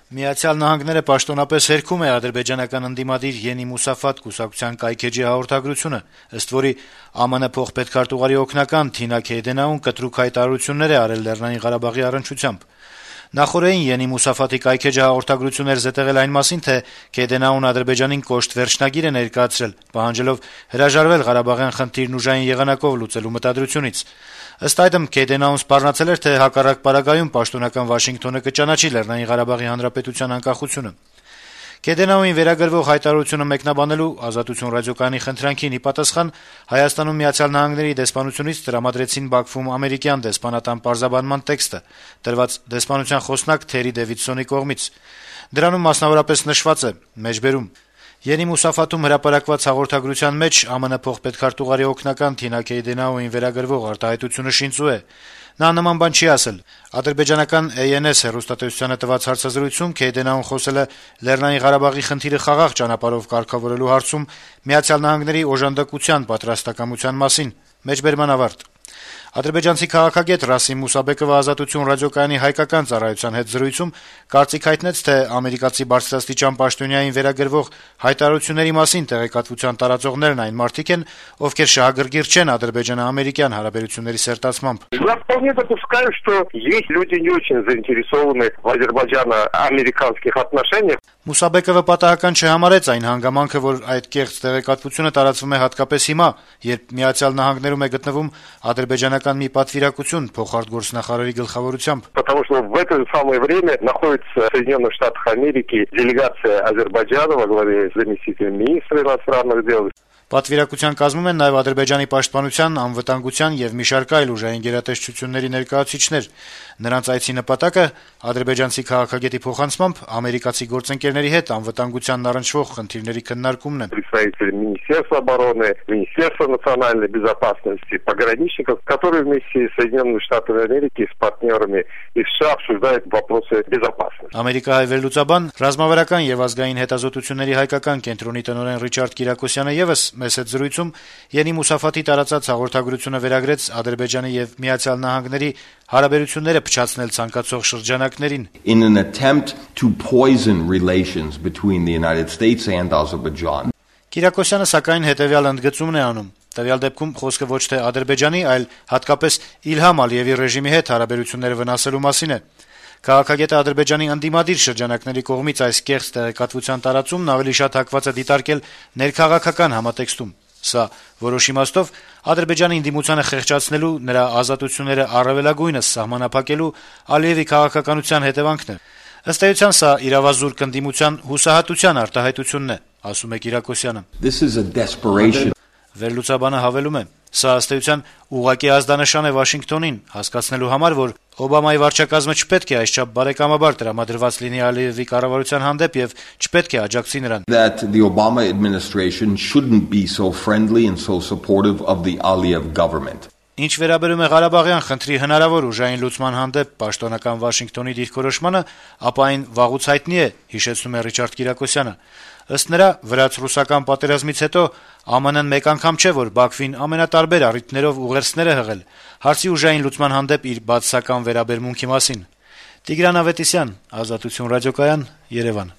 Միացյալ Նահանգները պաշտոնապես հերքում է ադրբեջանական ընդդիմադիր Ենի Մուսաֆատ կուսակցության կայքէջի հաղորդագրությունը, ըստ որի ԱՄՆ փոխպետքարտուղարի օգնական Թինա Քեյդենաուն կտրուկ հայտարարություններ է արել Լեռնային Ղարաբաղի առնչությամբ։ Նախորդին Ենի Մուսաֆատի կայքէջը հաղորդագրություն էր զետեղել այն մասին, թե Քեյդենաուն Ադրբեջանին կոշտ վերջնագիր է ներկայացրել, պահանջելով հրաժարվել Ղարաբաղյան խնդիրն ուժային եղանակով լուծելու մտադրությունից։ Ըստ այդմ Քեյդենաուն սպառնացել էր, թե հակառակ պարագայում պաշտոնական Վաշինգտոնը կճանաչի Լեռնային Ղարաբաղի Հանրապետության անկախությունը։ Քեյդենաունին վերագրվող հայտարարությունը մեկնաբանելու Ազատություն ռադիոկայանի խնդրանքին ի պատասխան Հայաստանում Միացյալ Նահանգների դեսպանությունից տրամադրեցին Բաքվում ամերիկյան դեսպանատան պարզաբանման տեքստը, տրված դեսպանության խոսնակ Թերի Դեվիդսոնի կողմից։ Դրանում մասնավորապես նշված է. «Մեջբերում Ենի Մուսաֆատում հրապարակված հաղորդագրության մեջ ԱՄՆ փոխպետքարտուղարի օգնական Թինա Քեյդենաուին վերագրվող արտահայտությունը շինծու է։ Նա նման բան չի ասել։ Ադրբեջանական ANS հեռուստատեսությանը տված հարցազրույցում Քեյդենաուն խոսել է Լեռնային Ղարաբաղի խնդիրը խաղաղ ճանապարհով կարգավորելու հարցում Միացյալ Նահանգների օժանդակության պատրաստակամության մասին»։ Մեջբերման ավարտ։ Ադրբեջանցի քաղաքագետ Ռասիմ Մուսաբեկովը Ազատություն ռադիոկայանի հայկական ծառայության հետ զրույցում կարծիք հայտնեց, թե ամերիկացի բարձրաստիճան պաշտոնյային վերագրվող հայտարարությունների մասին տեղեկատվության տարածողներն այն մարդիկ են, ովքեր շահագրգիռ չեն ադրբեջանա-ամերիկյան հարաբերությունների սերտացմամբ։ Я вполне допускаю, что есть люди не очень заинтересованы в азербайджано-американских отношениях. Մուսաբեկովը պատահական չհամարեց այն հանգամանքը, որ այդ կեղծ տեղեկատվությունը տարածվում է հատկապես հիմա, երբ Միացյալ Նահանգներում է գտնվում ադրբեջանական մի պատվիրակություն փոխարտգործնախարարի գլխավորությամբ։ Потому что в это же самое время находится в Соединенных Штатах Америки делегация Азербайджана во главе с заместителем министра иностранных дел. Պատվիրակության կազմում են նաև Ադրբեջանի պաշտպանության, անվտանգության եւ մի շարք այլ ուժային գերատեսչությունների ներկայացուցիչներ։ Նրանց այցի նպատակը ադրբեջանցի քաղաքագետի փոխանցմամբ ամերիկացի գործընկերների հետ անվտանգությանն առնչվող խնդիրների քննարկումն է։ Представители Министерства обороны, Министерства национальной безопасности, пограничников, которые вместе с Соединенными Штатами Америки, с партнерами из США обсуждают вопросы безопасности. Ամերիկահայ վերլուծաբան, ռազմավարական եւ ազգային հետազոտությունների հայկական կենտրոնի տնօրեն Ռիչարդ Կիրակոսյանը եւս մեծ զրույցում Ենի Մուսաֆատի տարածած հաղորդագրությունը վերագրեց Ադրբեջանի եւ Միացյալ Նահանգների հարաբերությունները փչացնել ցանկացող շրջանակներին։ In an attempt to poison relations between the United States and Azerbaijan. Կիրակոսյանը սակայն հետեւյալ ընդգծումն է անում. Տվյալ դեպքում խոսքը ոչ թե Ադրբեջանի, այլ հատկապես Իլհամ Ալիևի ռեժիմի հետ հարաբերությունները վնասելու մասին է։ Քաղաքագետը Ադրբեջանի ընդդիմադիր շրջանակների կողմից այս կեղծ տեղեկատվության տարածումն ավելի շատ հակված է դիտարկել ներքաղաքական համատեքստում։ Սա որոշ իմաստով Ադրբեջանի ընդդիմությանը խեղճացնելու, նրա ազատությունները առավելագույնս սահմանափակելու Ալիևի քաղաքականության հետևանքն է։ Ըստ էության սա իրավազուրկ ընդդիմության հուսահատության արտահայտությունն է, ասում է Կիրակոսյանը։ This is a desperation. Վերլուծաբանը հավելում է. Սա ըստ էության ուղղակի ազդանշան է Վաշինգտոնին, հասկացնելու համար, որ Օբամայի վարչակազմը չպետք է այսչափ բարեկամաբար տրամադրված լինի Ալիևի կառավարության հանդեպ եւ չպետք է աջակցի նրան։ That the Obama administration shouldn't be so friendly and so supportive of the Aliyev government. Ինչ վերաբերում է Ղարաբաղյան խնդրի հնարավոր ուժային լուծման հանդեպ պաշտոնական Վաշինգտոնի դիրքորոշմանը, ապա այն վաղուց հայտնի է, հիշեցնում է Ռիչարդ Կիրակոսյանը։ Ըստ նրա, վրաց-ռուսական պատերազմից հետո ԱՄՆ-ն մեկ անգամ չէ, որ Բաքվին ամենատարբեր առիթներով ուղերձներ է հղել հարցի ուժային լուծման հանդեպ իր բացասական վերաբերմունքի մասին։ Տիգրան Ավետիսյան, Ազատություն ռադիոկայան, Երևան։